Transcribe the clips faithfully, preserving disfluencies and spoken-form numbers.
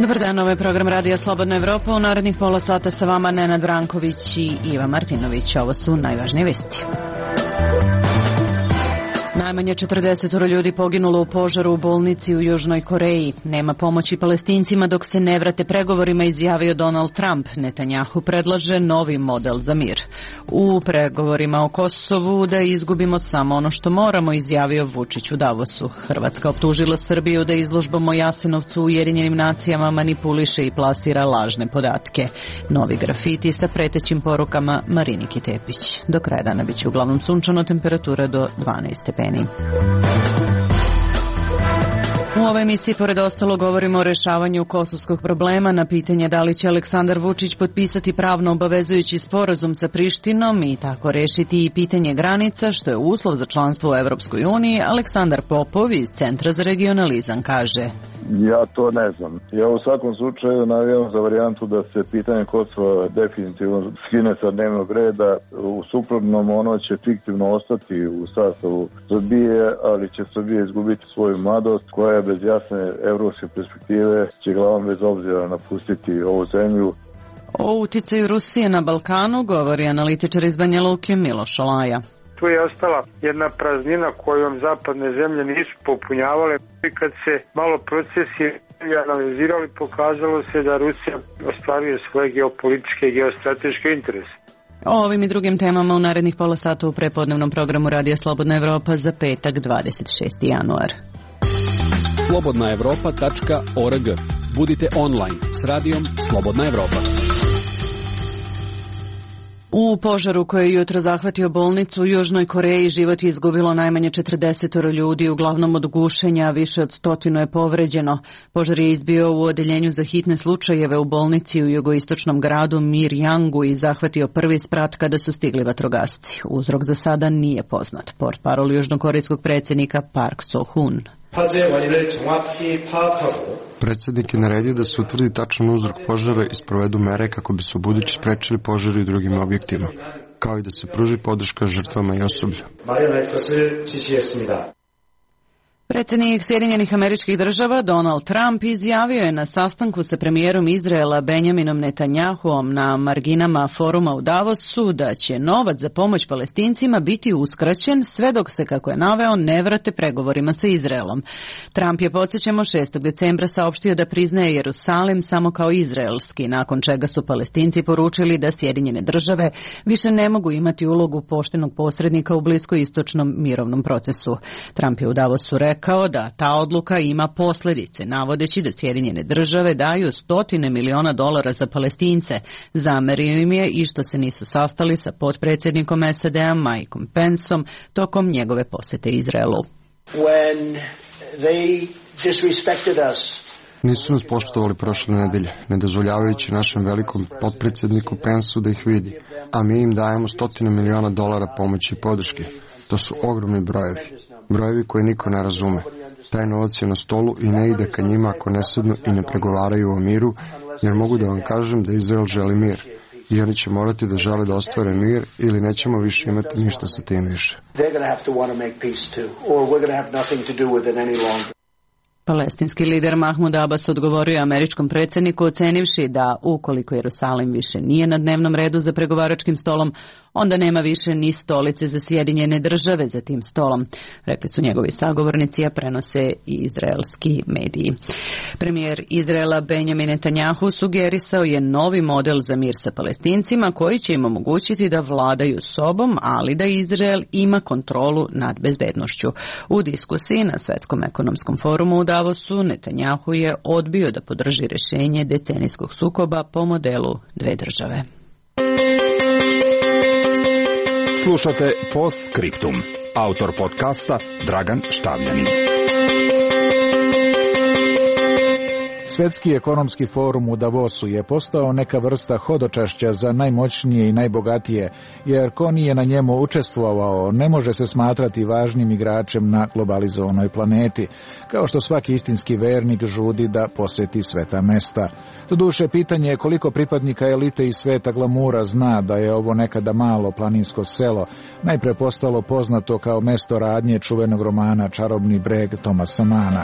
Dobar dan, ovo je program Radija Slobodna Evropa. U narednih pola sata sa vama Nenad Branković i Iva Martinović. Ovo su najvažnije vesti. Najmanje četrdeset ljudi poginulo u požaru u bolnici u Južnoj Koreji. Nema pomoći Palestincima dok se ne vrate pregovorima, izjavio Donald Trump. Netanjahu predlaže novi model za mir. U pregovorima o Kosovu da izgubimo samo ono što moramo, izjavio Vučić u Davosu. Hrvatska optužila Srbiju da izložbom o Jasenovcu u Ujedinjenim nacijama manipuliše i plasira lažne podatke. Novi grafiti sa pretećim porukama Mariniki Tepić. Do kraja dana biće uglavnom sunčano, temperatura do dvanaest stepeni. U ovoj emisiji pored ostalo govorimo o rešavanju kosovskog problema, na pitanje da li će Aleksandar Vučić potpisati pravno obavezujući sporazum sa Prištinom i tako rešiti i pitanje granica, što je uslov za članstvo u Evropskoj uniji. Aleksandar Popov iz Centra za regionalizam kaže: Ja to ne znam. Ja u svakom slučaju navijam za varijantu da se pitanje Kosova definitivno skine sa dnevnog reda. U suprotnom ono će fiktivno ostati u sastavu Srbije, ali će Srbija izgubiti svoju mladost koja je bez jasne evropske perspektive će glavom bez obzira napustiti ovu zemlju. O uticaju Rusije na Balkanu govori analitičar iz Banja Luke Miloš Olaja. Tu je ostala jedna praznina kojom zapadne zemlje nisu popunjavale. I kad se malo procesi analizirali, pokazalo se da Rusija ostvaruje svoje geopolitičke i geostrateške interese. O ovim i drugim temama u narednih pola sata u prepodnevnom programu Radija Slobodna Evropa za petak dvadeset šesti januar. slobodna evropa tačka org. Budite online s radijom Slobodna Evropa. U požaru koji je jutro zahvatio bolnicu u Južnoj Koreji život je izgubilo najmanje četrdeset ljudi, uglavnom od gušenja, više od stotinu je povređeno. Požar je izbio u odeljenju za hitne slučajeve u bolnici u jugoistočnom gradu Mirjangu i zahvatio prvi sprat kada su stigli vatrogasci. Uzrok za sada nije poznat. Portparol južnokorejskog predsjednika Park So-hun. Predsjednik je naredio da se utvrdi tačan uzrok požara i sprovedu mere kako bi se ubuduće sprečili požari u drugim objektima, kao i da se pruži podrška žrtvama i osoblju. Predsjednik Sjedinjenih Američkih Država Donald Trump izjavio je na sastanku sa premijerom Izraela Benjaminom Netanjahuom na marginama foruma u Davosu da će novac za pomoć Palestincima biti uskraćen sve dok se, kako je naveo, ne vrate pregovorima sa Izraelom. Trump je, podsjećamo, šestog decembra saopštio da priznaje Jerusalim samo kao izraelski, nakon čega su Palestinci poručili da Sjedinjene Države više ne mogu imati ulogu poštenog posrednika u bliskoistočnom mirovnom procesu. Trump je u Davosu rekao kao da ta odluka ima posljedice, navodeći da Sjedinjene Države daju stotine miliona dolara za Palestince. Zamerio im je i što se nisu sastali sa potpredsjednikom S A D-a Mikeom Penceom tokom njegove posjete Izraelu. When they disrespected us, Nisu nas poštovali prošle nedelje, ne dozvoljavajući našem velikom potpredsjedniku Penceu da ih vidi, a mi im dajemo stotine miliona dolara pomoći i podrške. To su ogromni brojevi, brojevi koje niko ne razume. Taj novac je na stolu i ne ide ka njima ako ne sednu i ne pregovaraju o miru, jer mogu da vam kažem da Izrael želi mir. I oni će morati da žele da ostvare mir ili nećemo više imati ništa sa tim više. Palestinski lider Mahmud Abbas odgovorio američkom predsjedniku ocenivši da ukoliko Jerusalim više nije na dnevnom redu za pregovaračkim stolom, onda nema više ni stolice za Sjedinjene Države za tim stolom, rekli su njegovi sagovornici, a prenose i izraelski mediji. Premijer Izraela Benjamin Netanjahu sugerisao je novi model za mir sa Palestincima koji će im omogućiti da vladaju sobom, ali da Izrael ima kontrolu nad bezbednošću. U diskusiji na Svetskom ekonomskom forumu u Davosu Netanjahu je odbio da podrži rješenje decenijskog sukoba po modelu dve države. Slušate Postscriptum. Autor podcasta Dragan Štavljanin. Svetski ekonomski forum u Davosu je postao neka vrsta hodočašća za najmoćnije i najbogatije, jer ko nije na njemu učestvovao ne može se smatrati važnim igračem na globalizovanoj planeti, kao što svaki istinski vernik žudi da posjeti sveta mesta. Doduše, pitanje je koliko pripadnika elite iz sveta glamura zna da je ovo nekada malo planinsko selo, najpre postalo poznato kao mesto radnje čuvenog romana Čarobni breg Tomasa Mana.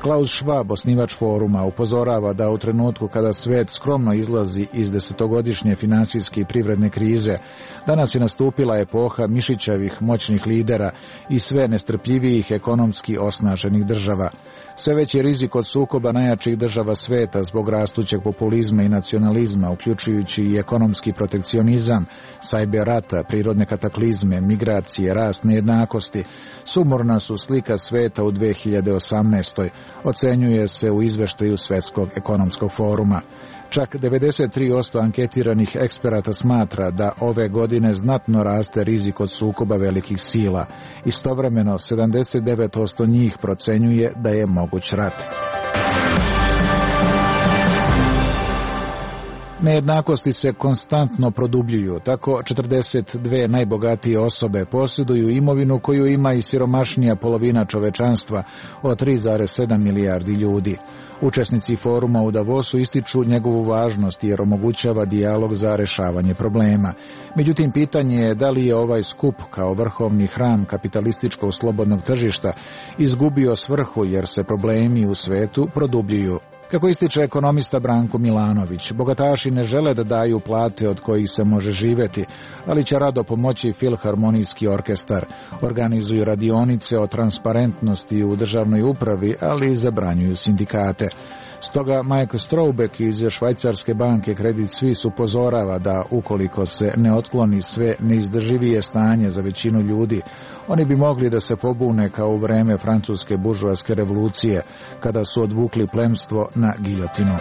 Klaus Schwab, osnivač foruma, upozorava da u trenutku kada svet skromno izlazi iz desetogodišnje finansijske i privredne krize, danas je nastupila epoha mišićavih moćnih lidera i sve nestrpljivijih ekonomski osnaženih država. Sve veći rizik od sukoba najjačih država sveta zbog rastućeg populizma i nacionalizma, uključujući i ekonomski protekcionizam, sajber rata, prirodne kataklizme, migracije, rast nejednakosti, sumorna su slika sveta u dve hiljade osamnaestoj. Ocenjuje se u izveštaju Svetskog ekonomskog foruma. Čak devedeset tri posto anketiranih eksperata smatra da ove godine znatno raste rizik od sukoba velikih sila. Istovremeno, sedamdeset devet posto njih procenjuje da je moguć rat. Nejednakosti se konstantno produbljuju, tako četrdeset dve najbogatije osobe posjeduju imovinu koju ima i siromašnija polovina čovečanstva od tri zarez sedam milijardi ljudi. Učesnici foruma u Davosu ističu njegovu važnost jer omogućava dijalog za rešavanje problema. Međutim, pitanje je da li je ovaj skup kao vrhovni hram kapitalističkog slobodnog tržišta izgubio svrhu jer se problemi u svetu produbljuju. Kako ističe ekonomista Branko Milanović, bogataši ne žele da daju plate od kojih se može živeti, ali će rado pomoći Filharmonijski orkestar. Organizuju radionice o transparentnosti u državnoj upravi, ali i zabranjuju sindikate. Stoga Mike Strobeck iz švajcarske banke Credit Suisse upozorava da ukoliko se ne otkloni sve neizdrživije stanje za većinu ljudi, oni bi mogli da se pobune kao u vreme francuske buržoaske revolucije, kada su odvukli plemstvo na giljotinu.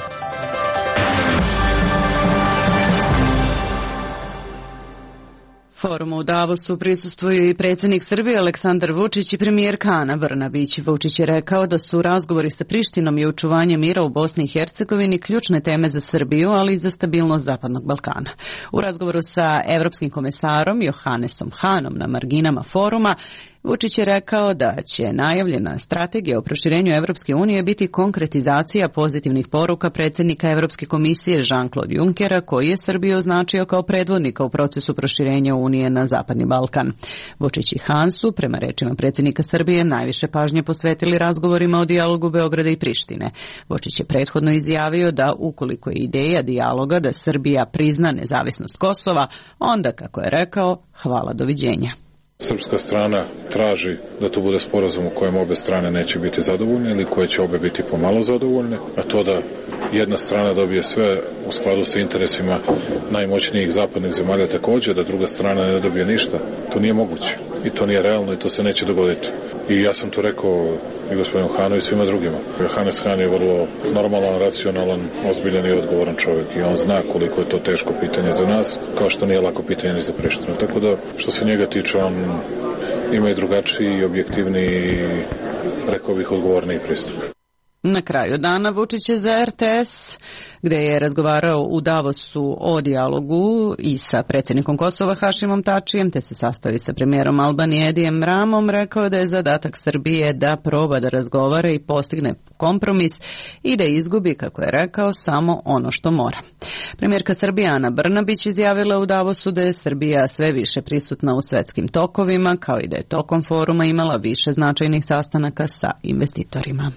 Forumu u Davosu prisustvuju i predsjednik Srbije Aleksandar Vučić i premijerka Ana Brnabić. Vučić je rekao da su razgovori sa Prištinom i očuvanje mira u Bosni i Hercegovini ključne teme za Srbiju, ali i za stabilnost Zapadnog Balkana. U razgovoru sa evropskim komesarom Johannesom Hanom na marginama foruma, Vučić je rekao da će najavljena strategija o proširenju Evropske unije biti konkretizacija pozitivnih poruka predsjednika Evropske komisije Jean-Claude Junckera, koji je Srbiju označio kao predvodnika u procesu proširenja Unije na Zapadni Balkan. Vučić i Han su, prema rečima predsjednika Srbije, najviše pažnje posvetili razgovorima o dijalogu Beograda i Prištine. Vučić je prethodno izjavio da ukoliko je ideja dijaloga da Srbija prizna nezavisnost Kosova, onda, kako je rekao, hvala, doviđenja. Srpska strana traži da to bude sporazum u kojem obe strane neće biti zadovoljne ili koje će obe biti pomalo zadovoljne, a to da jedna strana dobije sve u skladu sa interesima najmoćnijih zapadnih zemalja također, da druga strana ne dobije ništa, to nije moguće i to nije realno i to se neće dogoditi. I ja sam to rekao i gospodinu Hanu i svima drugima. Johannes Han je vrlo normalan, racionalan, ozbiljan i odgovoran čovjek i on zna koliko je to teško pitanje za nas, kao što nije lako pitanje ni za Prištinu. Tako da, što se njega tiče, on ima i drugačiji, objektivniji, rekao bih, odgovorniji pristup. Na kraju dana Vučić je za R T S, gde je razgovarao u Davosu o dijalogu i sa predsjednikom Kosova Hašimom Tačijem, te se sastavi sa premijerom Albanije Edijem Ramom, rekao da je zadatak Srbije da proba da razgovara i postigne kompromis i da izgubi, kako je rekao, samo ono što mora. Premijerka Srbije Ana Brnabić izjavila u Davosu da je Srbija sve više prisutna u svetskim tokovima, kao i da je tokom foruma imala više značajnih sastanaka sa investitorima.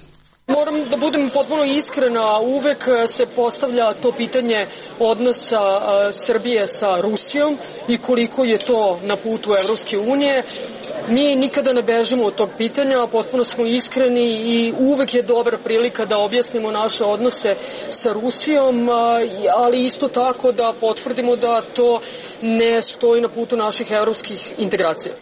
Moram da budem potpuno iskrena, uvek se postavlja to pitanje odnosa Srbije sa Rusijom i koliko je to na putu Evropske unije. Mi nikada ne bežimo od tog pitanja, potpuno smo iskreni i uvek je dobra prilika da objasnimo naše odnose sa Rusijom, ali isto tako da potvrdimo da to ne stoji na putu naših evropskih integracija.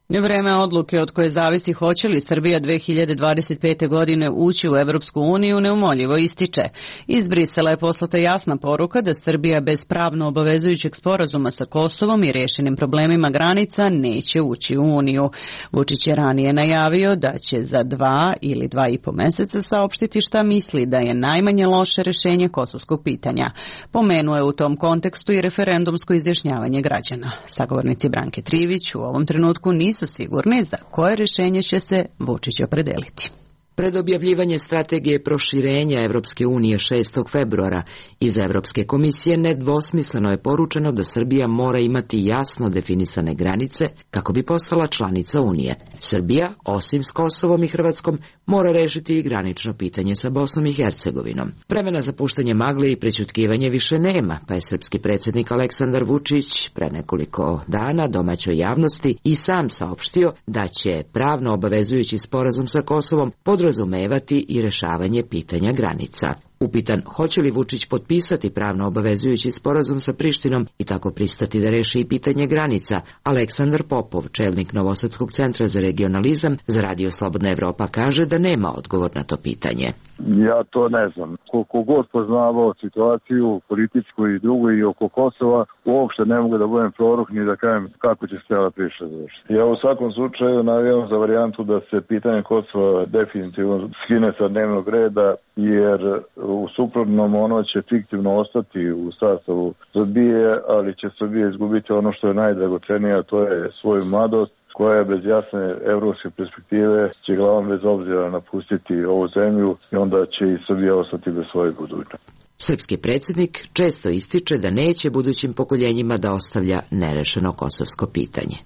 Vreme odluke od koje zavisi hoće li Srbija dve hiljade dvadeset pete. godine ući u Evropsku uniju neumoljivo ističe. Iz Brisela je poslata jasna poruka da Srbija bez pravno obavezujućeg sporazuma sa Kosovom i rješenim problemima granica neće ući u Uniju. Vučić je ranije najavio da će za dva ili dva i po meseca saopštiti šta misli da je najmanje loše rješenje kosovskog pitanja. Pomenuo je u tom kontekstu i referendumsko izjašnjavanje građana. Sagovornici Branke Trivić u ovom trenutku nisu sigurni za koje rješenje će se Vučić opredeliti. Pred objavljivanje strategije proširenja Evropske unije šestog februara iz Evropske komisije nedvosmisleno je poručeno da Srbija mora imati jasno definisane granice kako bi postala članica Unije. Srbija, osim s Kosovom i Hrvatskom, mora rešiti i granično pitanje sa Bosnom i Hercegovinom. Vremena za puštanje magle i prećutkivanje više nema, pa je srpski predsjednik Aleksandar Vučić pre nekoliko dana domaćoj javnosti i sam saopštio da će pravno obavezujući sporazum sa Kosovom podrazumevati i rešavanje pitanja granica. Upitan hoće li Vučić potpisati pravno obavezujući sporazum sa Prištinom i tako pristati da reši i pitanje granica, Aleksandar Popov, čelnik Novosadskog centra za regionalizam za Radio Slobodna Evropa, kaže da nema odgovor na to pitanje. Ja to ne znam. Koliko god poznavao situaciju političku i drugu i oko Kosova, uopšte ne mogu da budem prorok ni da kažem kako će se cijela priča završiti. Ja u svakom slučaju navijam za varijantu da se pitanje Kosova definitivno skine sa dnevnog reda, jer u suprotnom ono će fiktivno ostati u sastavu Srbije, ali će Srbija izgubiti ono što je najdragocenije, a to je svoju mladost, koja je bez jasne evropske perspektive će glavom bez obzira napustiti ovu zemlju i onda će i Srbija ostati bez svoje budućnosti. Srpski predsjednik često ističe da neće budućim pokoljenjima da ostavlja nerešeno kosovsko pitanje.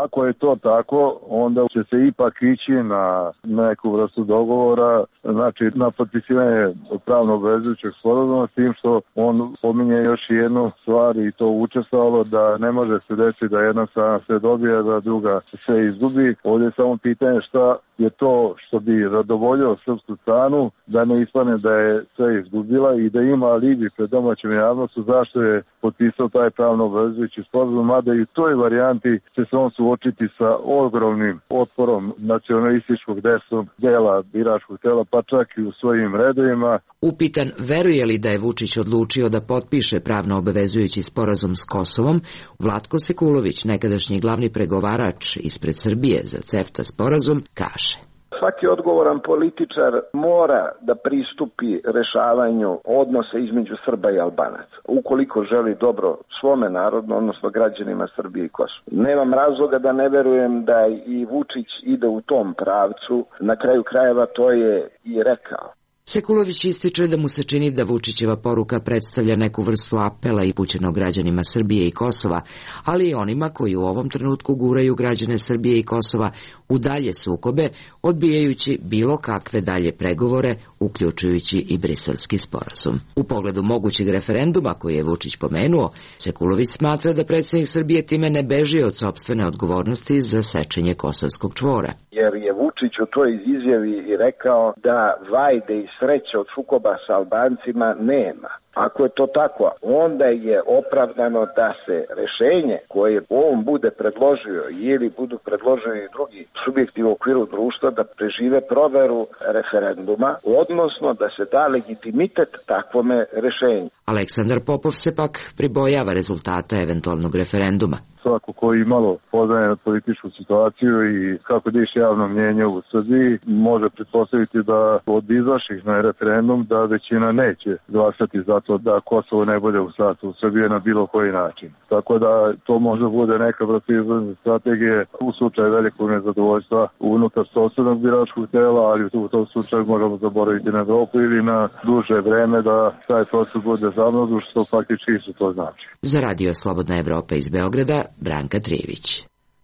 Ako je to tako, onda će se ipak ići na neku vrstu dogovora, znači na potpisivanje pravno obvezujućeg sporazuma, s tim što on pominje još jednu stvar i to učestvovalo da ne može se desiti da jedna strana se dobije, da druga se izgubi. Ovdje je samo pitanje šta je to što bi zadovoljilo srpsku stranu, da ne ispane da je sve izgubila i da ima alibi pred domaćom javnošću zašto je potpisao taj pravno obvezujući sporazum, mada i u toj varijanti će se on suočiti sa ogromnim otporom nacionalističkog desnog dela biračkog tela, pa čak i u svojim redovima. Upitan veruje li da je Vučić odlučio da potpiše pravno obavezujući sporazum s Kosovom, Vlatko Sekulović, nekadašnji glavni pregovarač ispred Srbije za CEFTA sporazum, kaže: Svaki odgovoran političar mora da pristupi rešavanju odnosa između Srba i Albanaca, ukoliko želi dobro svome narodu, odnosno građanima Srbije i Kosova. Nemam razloga da ne verujem da i Vučić ide u tom pravcu, na kraju krajeva to je i rekao. Sekulović ističe da mu se čini da Vučićeva poruka predstavlja neku vrstu apela i upućeno građanima Srbije i Kosova, ali i onima koji u ovom trenutku guraju građane Srbije i Kosova u dalje sukobe, odbijajući bilo kakve dalje pregovore, uključujući i Briselski sporazum. U pogledu mogućeg referenduma koji je Vučić pomenuo, Sekulović smatra da predsjednik Srbije time ne beži od sopstvene odgovornosti za sečenje kosovskog čvora. Jer je Vučić u toj izjavi i rekao da vajde i sreće od sukoba sa Albancima nema. Ako je to tako, onda je opravdano da se rešenje koje on bude predložio ili budu predložili drugi subjekti u okviru društva da prežive proveru referenduma, odnosno da se da legitimitet takvome rešenju. Aleksandar Popov se pak pribojava rezultata eventualnog referenduma. Svako koji malo poznaje političku situaciju i kako diše javno mnjenje u Srbiji, može pretpostaviti da od izašlih na referendum da većina neće glasati za to da Kosovo ne bude u sastavu Srbije na bilo koji način. Tako da to može bude neka vrsta izlazne strategije u slučaju velikog nezadovoljstva unutar sopstvenog biračkog tela, ali u tom slučaju moramo zaboraviti na Evropu ili na duže vreme da taj proces bude zamrznuo, što faktički isto to znači. Za Radio Slobodna Evropa iz Beograda, Branka Trijević.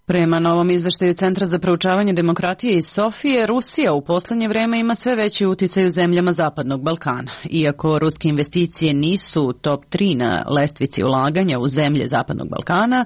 Prema novom izveštaju Centra za proučavanje demokratije iz Sofije, Rusija u poslednje vreme ima sve veći uticaj u zemljama Zapadnog Balkana. Iako ruske investicije nisu top tri na lestvici ulaganja u zemlje Zapadnog Balkana,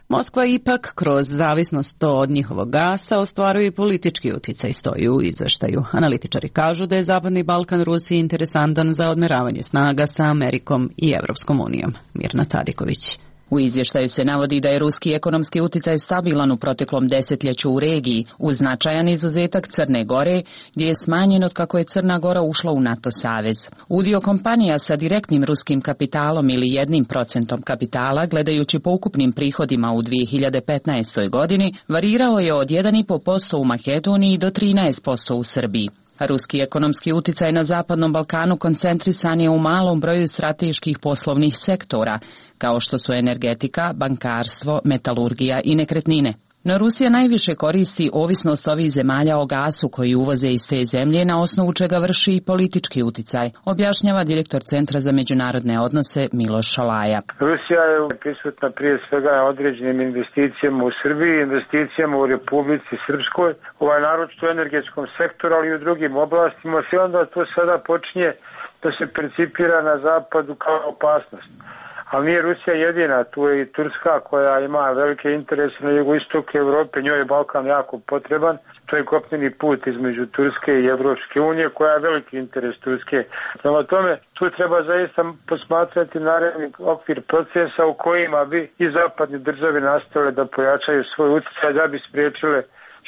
Moskva ipak kroz zavisnost od njihovog gasa ostvaruje i politički uticaj, stoji u izveštaju. Analitičari kažu da je Zapadni Balkan Rusiji interesantan za odmeravanje snaga sa Amerikom i Evropskom unijom. Mirna Sadiković. U izvještaju se navodi da je ruski ekonomski uticaj stabilan u proteklom desetljeću u regiji, uz značajan izuzetak Crne Gore, gdje je smanjen od kako je Crna Gora ušla u NATO savez. Udio kompanija sa direktnim ruskim kapitalom ili jednim procentom kapitala, gledajući po ukupnim prihodima u dvije hiljade petnaestoj. godini, varirao je od jedan i po posto u Makedoniji do trinaest posto u Srbiji. Ruski ekonomski uticaj na Zapadnom Balkanu koncentrisan je u malom broju strateških poslovnih sektora, kao što su energetika, bankarstvo, metalurgija i nekretnine. No Rusija najviše koristi ovisnost ovih zemalja o gasu koji uvoze iz te zemlje, na osnovu čega vrši i politički uticaj, objašnjava direktor Centra za međunarodne odnose Miloš Šalaja. Rusija je prisutna prije svega na određenim investicijama u Srbiji, investicijama u Republici Srpskoj, ovaj naročito u energetskom sektoru, ali i u drugim oblastima, i onda to sada počinje da se percipira na zapadu kao opasnost. Ali nije Rusija jedina, tu je i Turska koja ima velike interese na jugoistoku Evrope, njoj je Balkan jako potreban, to je kopneni put između Turske i Evropske unije koja je veliki interes Turske. Prema tome, tu treba zaista posmatrati naredni okvir procesa u kojima bi i zapadne države nastavile da pojačaju svoj utjecaj da bi spriječile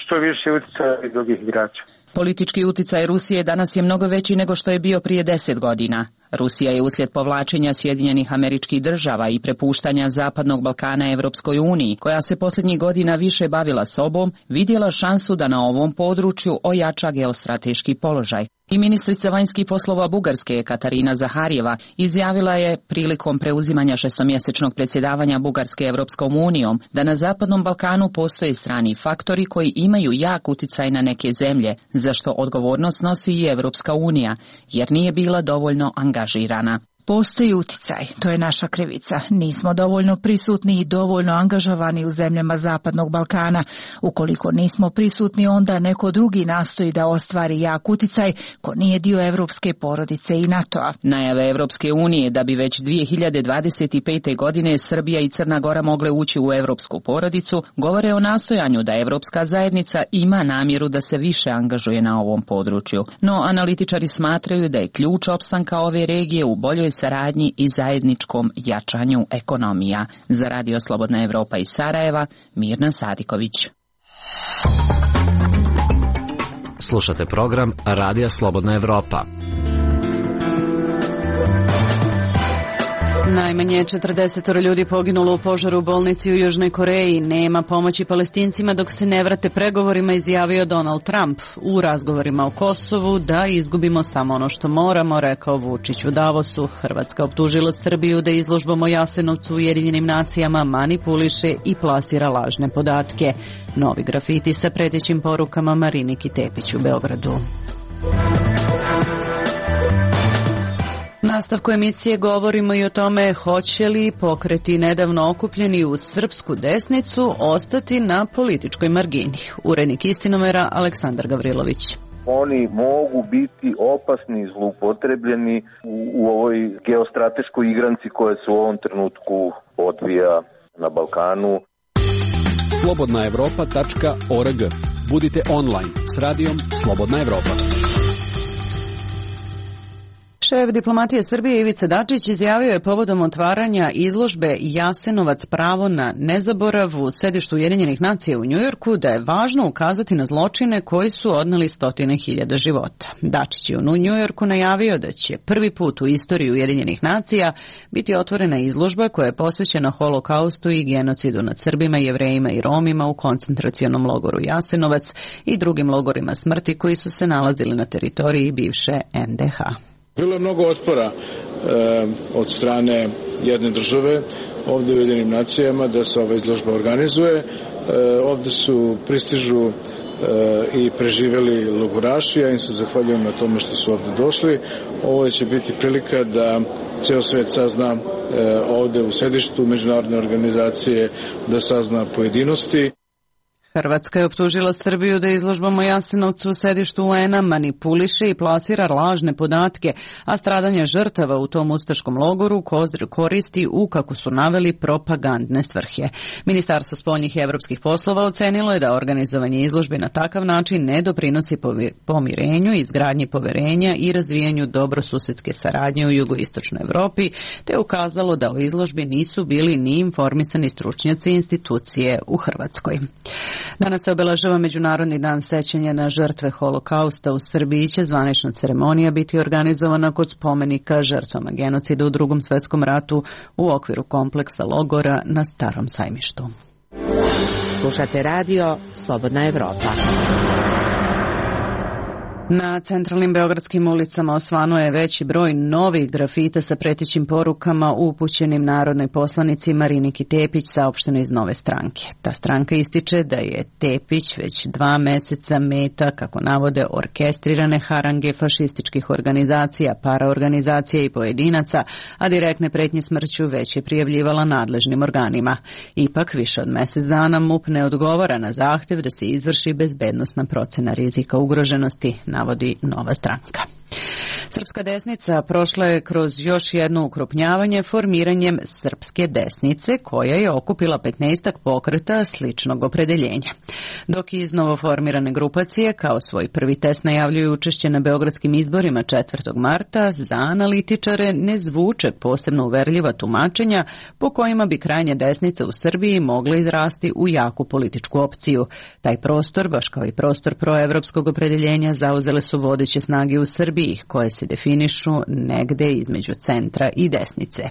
što više utjecaja i drugih igrača. Politički uticaj Rusije danas je mnogo veći nego što je bio prije deset godina. Rusija je uslijed povlačenja Sjedinjenih Američkih Država i prepuštanja Zapadnog Balkana Evropskoj uniji, koja se posljednjih godina više bavila sobom, vidjela šansu da na ovom području ojača geostrateški položaj. I ministrica vanjskih poslova Bugarske Katarina Zaharijeva izjavila je prilikom preuzimanja šestomjesečnog predsjedavanja Bugarske Evropskom unijom da na Zapadnom Balkanu postoje strani faktori koji imaju jak uticaj na neke zemlje, za što odgovornost nosi i Evropska unija, jer nije bila dovoljno angažirana. Postoji uticaj, to je naša krivica. Nismo dovoljno prisutni i dovoljno angažovani u zemljama Zapadnog Balkana. Ukoliko nismo prisutni, onda neko drugi nastoji da ostvari jak uticaj ko nije dio evropske porodice i NATO-a. Najave Evropske unije da bi već dvije hiljade dvadeset pete. godine Srbija i Crna Gora mogle ući u evropsku porodicu govore o nastojanju da evropska zajednica ima namjeru da se više angažuje na ovom području. No analitičari smatraju da je ključ opstanka ove regije u boljoj saradnji i zajedničkom jačanju ekonomija. Za Radio Slobodna Evropa iz Sarajeva, Mirna Sadiković. Slušate program Radija Slobodna Evropa. Najmanje četrdeset ljudi poginulo u požaru u bolnici u Južnoj Koreji. Nema pomoći Palestincima dok se ne vrate pregovorima, izjavio Donald Trump. U razgovorima o Kosovu da izgubimo samo ono što moramo, rekao Vučić u Davosu. Hrvatska optužila Srbiju da izložbom o Jasenovcu u Ujedinjenim nacijama manipuliše i plasira lažne podatke. Novi grafiti sa pretećim porukama Mariniki Tepić u Beogradu. Nastavku emisije govorimo i o tome hoće li pokreti nedavno okupljeni u srpsku desnicu ostati na političkoj margini. Urednik Istinomera Aleksandar Gavrilović. Oni mogu biti opasni i zloupotrebljeni u, u ovoj geostrateškoj igranci koja se u ovom trenutku odvija na Balkanu. slobodna evropa tačka org. Budite online s radijom Slobodna Evropa. Šef diplomatije Srbije Ivica Dačić izjavio je povodom otvaranja izložbe Jasenovac pravo na nezaborav u sedištu Ujedinjenih nacija u Njujorku da je važno ukazati na zločine koji su odneli stotine hiljada života. Dačić je u Njujorku najavio da će prvi put u istoriji Ujedinjenih nacija biti otvorena izložba koja je posvećena holokaustu i genocidu nad Srbima, Jevrejima i Romima u koncentracionom logoru Jasenovac i drugim logorima smrti koji su se nalazili na teritoriji bivše en de ha. Bilo je mnogo otpora e, od strane jedne države ovdje u Ujedinjenim nacijama da se ova izložba organizuje. E, ovdje su pristižu e, i preživjeli logoraši, ja im se zahvaljujem na tome što su ovdje došli. Ovo će biti prilika da ceo svijet sazna e, ovdje u sedištu međunarodne organizacije, da sazna pojedinosti. Hrvatska je optužila Srbiju da izložbom o Jasenovcu u sedištu u en a manipuliše i plasira lažne podatke, a stradanje žrtava u tom ustaškom logoru koristi u, kako su naveli, propagandne svrhe. Ministarstvo spoljnih i evropskih poslova ocenilo je da organizovanje izložbe na takav način ne doprinosi pomirenju, izgradnji poverenja i razvijanju dobrosusedske saradnje u jugoistočnoj Evropi, te ukazalo da o izložbi nisu bili ni informisani stručnjaci institucije u Hrvatskoj. Danas se obeležava Međunarodni dan sećanja na žrtve holokausta. U Srbiji će zvanična ceremonija biti organizovana kod spomenika žrtvama genocida u Drugom svjetskom ratu u okviru kompleksa logora na Starom sajmištu. Slušate radio Slobodna Evropa. Na centralnim beogradskim ulicama osvanuo je veći broj novih grafita sa pretećim porukama upućenim narodnoj poslanici Mariniki Tepić, saopšteno iz Nove stranke. Ta stranka ističe da je Tepić već dva meseca meta, kako navode, orkestrirane harange fašističkih organizacija, paraorganizacija i pojedinaca, a direktne pretnje smrću već je prijavljivala nadležnim organima. Ipak, više od mesec dana MUP ne odgovara na zahtev da se izvrši bezbednosna procena rizika ugroženosti, navodi Nova stranka. Srpska desnica prošla je kroz još jedno ukrupnjavanje formiranjem Srpske desnice, koja je okupila petnaestak pokreta sličnog opredeljenja. Dok iz novoformirane grupacije kao svoj prvi test najavljuju učešće na beogradskim izborima četvrtog marta, za analitičare ne zvuče posebno uverljiva tumačenja po kojima bi krajnja desnica u Srbiji mogla izrasti u jaku političku opciju. Taj prostor, baš kao i prostor proevropskog opredeljenja, zauzele su vodeće snage u Srbiji, koje se definišu negde između centra i desnice.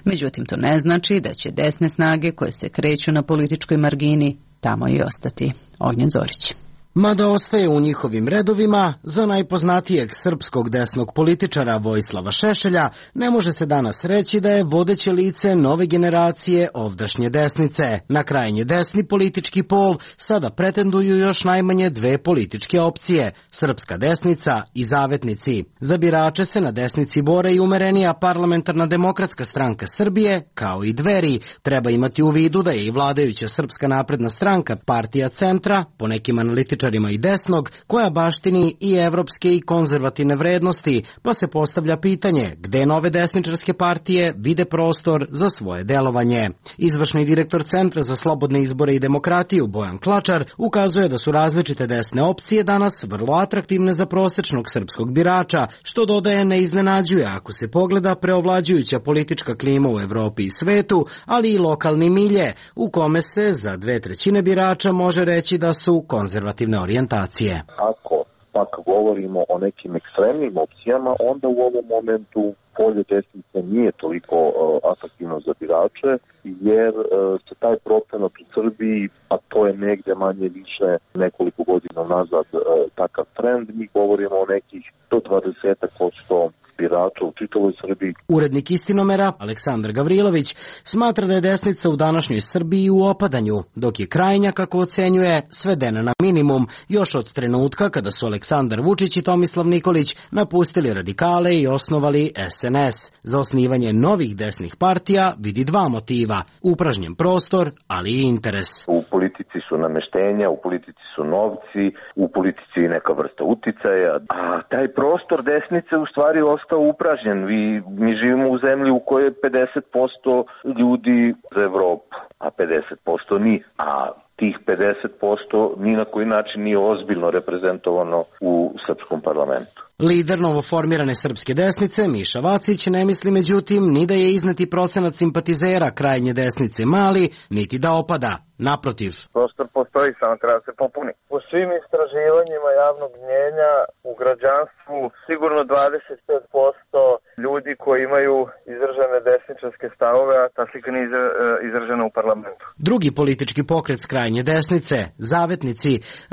Međutim, to ne znači da će desne snage koje se kreću na političkoj margini tamo i ostati. Ognjen Zorić. Mada ostaje u njihovim redovima, za najpoznatijeg srpskog desnog političara Vojislava Šešelja ne može se danas reći da je vodeće lice nove generacije ovdašnje desnice. Na krajnje desni politički pol sada pretenduju još najmanje dve političke opcije, Srpska desnica i Zavetnici. Za birače se na desnici bore i umerenija Parlamentarna demokratska stranka Srbije, kao i Dveri. Treba imati u vidu da je i vladajuća Srpska napredna stranka partija centra, po nekim analitičarima i desnog, koja baštini i evropske i konzervativne vrednosti, pa se postavlja pitanje gde nove desničarske partije vide prostor za svoje delovanje. Izvršni direktor Centra za slobodne izbore i demokratiju Bojan Klačar ukazuje da su različite desne opcije danas vrlo atraktivne za prosečnog srpskog birača, što dodaje ne iznenađuje ako se pogleda preovlađujuća politička klima u Evropi i svetu, ali i lokalni milje, u kome se za dve trećine birača može reći da su konzervativne orijentacije. Ako pak govorimo o nekim ekstremnim opcijama, onda u ovom momentu polje desnice nije toliko uh, atraktivno za birače, jer uh, se taj procenat u Srbiji, a to je negde manje više nekoliko godina nazad uh, takav trend, mi govorimo o nekih do dvadeset posto birača u čitavoj Srbiji. Urednik Istinomera, Aleksandar Gavrilović, smatra da je desnica u današnjoj Srbiji u opadanju, dok je krajnja, kako ocenjuje, svedena na minimum, još od trenutka kada su Aleksandar Vučić i Tomislav Nikolić napustili radikale i osnovali S N S. Za osnivanje novih desnih partija vidi dva motiva, upražnjen prostor, ali i interes. U politici su nameštenja, u politici su novci, u politici je neka vrsta uticaja, a taj prostor desnice u stvari ostao upražnjen. Vi, mi živimo u zemlji u kojoj je pedeset posto ljudi za Evropu, a pedeset posto nije. A tih pedeset posto ni na koji način nije ozbiljno reprezentovano u srpskom parlamentu. Lider novoformirane srpske desnice, Miša Vacić, ne misli međutim ni da je izneti procenat simpatizera krajnje desnice mali, niti da opada. Naprotiv. Prostor postoji, samo treba se popuni. U svim istraživanjima javnog mnjenja u građanstvu sigurno dvadeset pet posto ljudi koji imaju izražene desničarske stavove, a ta slika nije izražena u parlamentu. Drugi politički pokret s krajnje desnice, Zavetnici,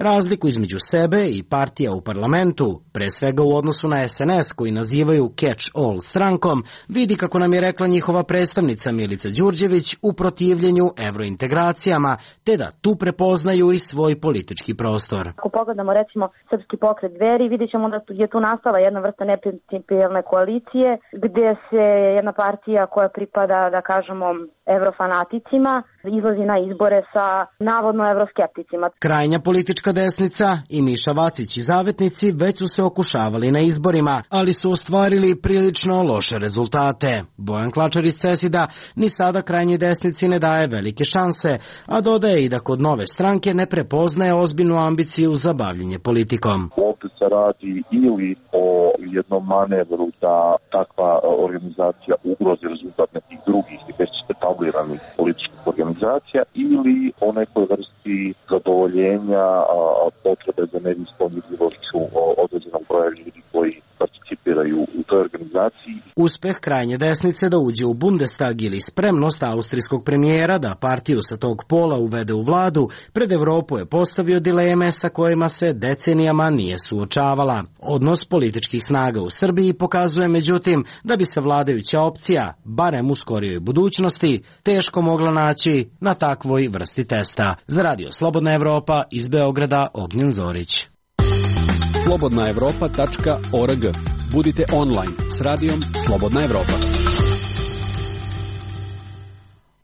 razliku između sebe i partija u parlamentu, pre svega u odnosu na S N S koji nazivaju catch-all strankom, vidi, kako nam je rekla njihova predstavnica Milica Đurđević, u protivljenju evrointegracijama, te da tu prepoznaju i svoj politički prostor. Ako pogledamo recimo Srpski pokret Dveri, vidjet ćemo da je tu nastala jedna vrsta neprincipijelne koalicije, gdje se jedna partija koja pripada, da kažemo, evrofanaticima, izlazi na izbore sa navodno evroskepticima. Krajnja politička desnica i Miša Vacić i Zavetnici već su se okušavali na izborima, ali su ostvarili prilično loše rezultate. Bojan Klačar iz Cesida ni sada krajnjoj desnici ne daje velike šanse, a dodaje i da kod nove stranke ne prepoznaje ozbiljnu ambiciju za bavljenje politikom. Ovdje se radi ili o jednom manevru da takva organizacija ugrozi rezultat nekih drugih i već etabliranih političkih organizacija, ili o nekoj vrsti zadovoljenja potrebe za medijskom vidljivošću određenog broja ljudi koji participiraju u toj organizaciji. Uspeh krajnje desnice da uđe u Bundestag ili spremnost austrijskog premijera da partiju sa tog pola uvede u vladu, pred Evropu je postavio dileme sa kojima se decenijama nije suočavala. Odnos političkih snaga u Srbiji pokazuje međutim da bi se vladajuća opcija, barem u skorijoj budućnosti, teško mogla naći na takvoj vrsti testa. Za Radio Slobodna Evropa iz Beograda, Ognjen Zorić. slobodna evropa tačka org. Budite online s radijom Slobodna Evropa.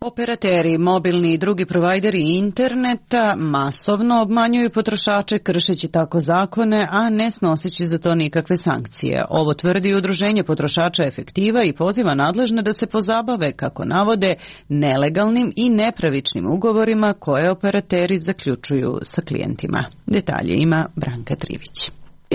Operateri, mobilni i drugi provajderi interneta masovno obmanjuju potrošače kršeći tako zakone, a ne snoseći za to nikakve sankcije. Ovo tvrdi Udruženje potrošača Efektiva i poziva nadležne da se pozabave, kako navode, nelegalnim i nepravičnim ugovorima koje operateri zaključuju sa klijentima. Detalje ima Branka Trivić.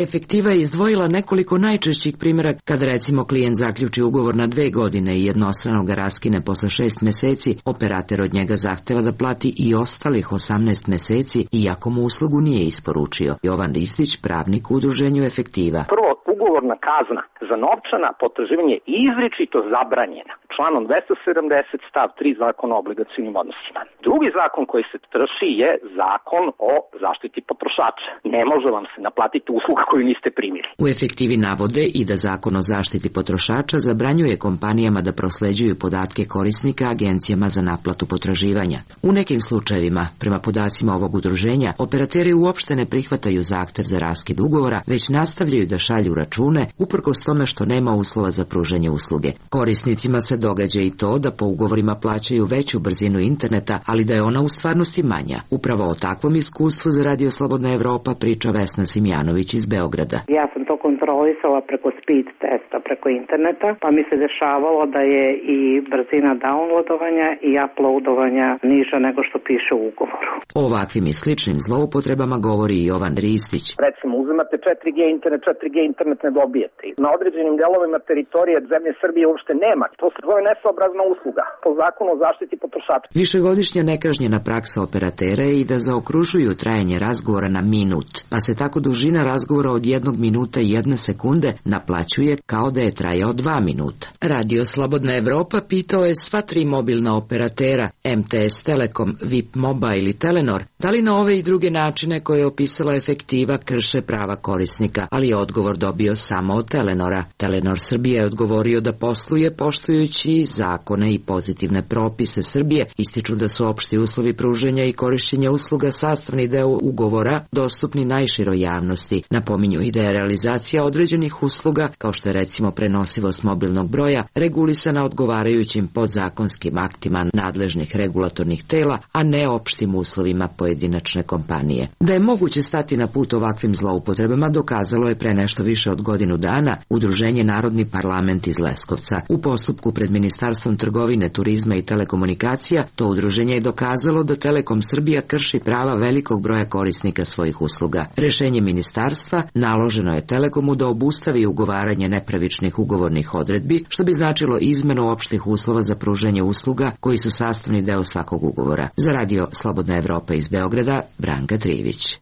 Efektiva je izdvojila nekoliko najčešćih primjera kad recimo klijent zaključi ugovor na dve godine i jednostrano ga raskine posle šest meseci, operater od njega zahteva da plati i ostalih osamnaest meseci iako mu uslugu nije isporučio. Jovan Ristić, pravnik u Udruženju Efektiva. Prvo, ugovorna kazna za novčana potraživanja je izričito zabranjena članom dvesta sedamdeset stav tri Zakona o obligacionim odnosima. Drugi zakon koji se krši je Zakon o zaštiti potrošača. Ne može vam se naplatiti usluga koju niste primili. U Efektivi navode i da Zakon o zaštiti potrošača zabranjuje kompanijama da prosleđuju podatke korisnika agencijama za naplatu potraživanja. U nekim slučajevima, prema podacima ovog udruženja, operateri uopšte ne prihvataju zahtev za raskid ugovora, već nastavljaju da šalju račune uprkos tome što nema uslova za pružanje usluge. Korisnicima se događa i to da po ugovorima plaćaju veću brzinu interneta, ali da je ona u stvarnosti manja. Upravo o takvom iskustvu za Radio Slobodna Evropa priča Vesna Simjanović iz Beograda. Ja sam to kontrolisala preko speed testa, preko interneta, pa mi se dešavalo da je i brzina downloadovanja i uploadovanja niža nego što piše u ugovoru. O ovakvim i sličnim zloupotrebama govori i Jovan Ristić. Recimo, uzimate četiri G internet, četiri G internet ne dobijete. Na određenim delovima teritorije zemlje Srbije uopšte nema. To se zove nesoobrazna usluga po Zakonu o zaštiti potrošača. Višegodišnja nekažnjena praksa operatera je i da zaokružuju trajanje razgovora na minut, pa se tako dužina razgovora od jednog minuta i jedne sekunde naplaćuje kao da je trajao dva minuta. Radio Slobodna Evropa pitao je sva tri mobilna operatera M T S Telekom, V I P Mobile i Telenor da li na ove i druge načine koje je opisala Efektiva krše prava korisnika, ali je odgovor dobio samo od Telenora. Telenor Srbije je odgovorio da posluje poštujući zakone i pozitivne propise Srbije, ističu da su opšti uslovi pruženja i korišćenja usluga sastavni deo ugovora dostupni najširoj javnosti. Napominju i da je realizacija određenih usluga, kao što je recimo prenosivost mobilnog broja, regulisana odgovarajućim podzakonskim aktima nadležnih regulatornih tela, a ne opštim uslovima pojedinačne kompanije. Da je moguće stati na put ovakvim zloupotrebama dokazalo je pre nešto više od godinu dana Udruženje Narodni parlament iz Leskovca. U postupku pred Ministarstvom trgovine, turizma i telekomunikacija to udruženje je dokazalo da Telekom Srbija krši prava velikog broja korisnika svojih usluga. Rešenje ministarstva naloženo je Telekomu da obustavi ugovaranje nepravičnih ugovornih odredbi, što bi značilo izmenu opštih uslova za pružanje usluga koji su sastavni deo svakog ugovora. Za Radio Slobodna Evropa iz Beograda, Branka Trivić.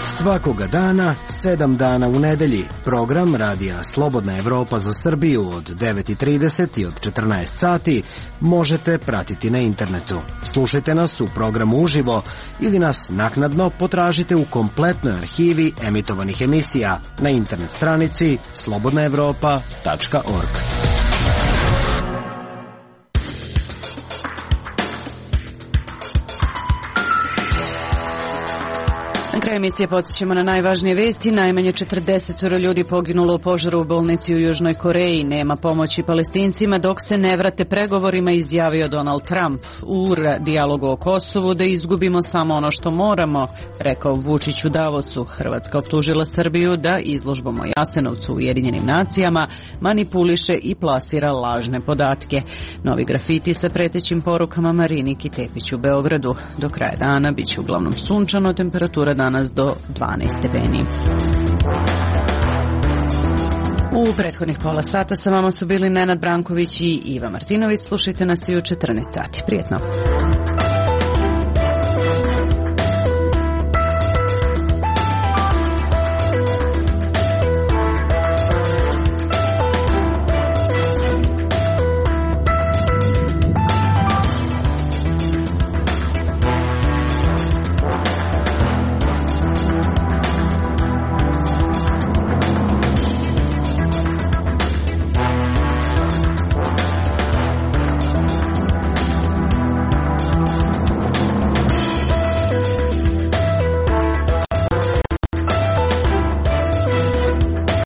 Svakoga dana, sedam dana u nedelji, program Radija Slobodna Evropa za Srbiju od devet i trideset i od četrnaest sati možete pratiti na internetu. Slušajte nas u programu uživo ili nas naknadno potražite u kompletnoj arhivi emitovanih emisija na internet stranici slobodna evropa tačka org. Na kraju emisije podsjećamo na najvažnije vesti. Najmanje četrdeset ljudi poginulo u požaru u bolnici u Južnoj Koreji. Nema pomoći Palestincima dok se ne vrate pregovorima, izjavio Donald Trump. U dijalogu o Kosovu da izgubimo samo ono što moramo, rekao Vučić u Davosu. Hrvatska optužila Srbiju da izložbom o Jasenovcu u Ujedinjenim nacijama manipuliše i plasira lažne podatke. Novi grafiti sa pretećim porukama Mariniki Tepić u Beogradu. Do kraja dana bit će uglavnom sunčano, temperatura danas do dvanaest stepeni. U prethodnih pola sata sa vama su bili Nenad Branković i Iva Martinović. Slušajte nas i u četrnaest sati. Prijetno.